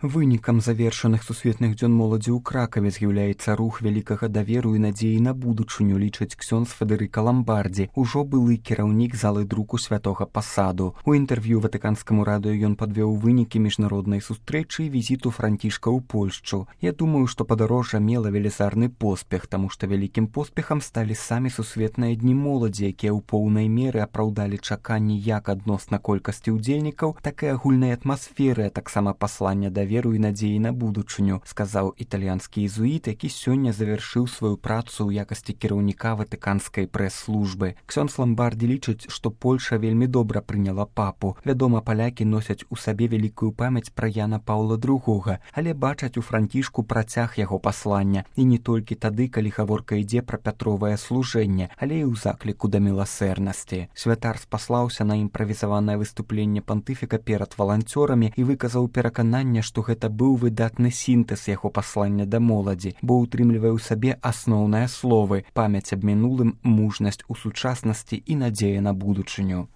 Вынікам завершаных сусветных дзён моладзі ў Кракаве з'яўляецца рух вялікага даверу і надзеі на будучыню, лічыць ксёндз Федэрыка Ламбардзі, ужо былы кіраўнік залы друку святога пасаду. У інтэрв'ю ватыканскаму радыё ён падвёў вынікі міжнароднай сустрэчы і візіту Францішка ў Польшчу. Я думаю, што падарожжа мела велізарны поспех, таму што вялікім поспехам сталі самі сусветныя дні моладзі, якія ў поўнай меры апраўдалі чаканні як адносна колькасці ўдзельнікаў, так і агульнай атмасферы, а таксама паслання даверу і надзеі на будучыню, сказаў італьянскі езуіт, які сёння завяршыў сваю працу ў якасці кіраўніка ватыканскай прэс-службы. Ксёндз Ламбардзі лічыць, што Польша вельмі добра прыняла папу. Вядома, палякі носяць у сабе вялікую памяць пра Яна Паўла II, але бачаць у Францішку працяг яго паслання. І не толькі тады, калі гаворка ідзе пра пятровае служэнне, але і ў закліку да міласэрнасці. Святар спаслаўся на імправізаванае выступленне пантыфіка перад валанцёрамі і выказаў перакананне, што гэта быў выдатны сінтэз яго паслання да моладзі, бо ўтрымлівае ў сабе асноўныя словы: памяць аб мінулым, мужнасць у сучаснасці і надзея на будучыню.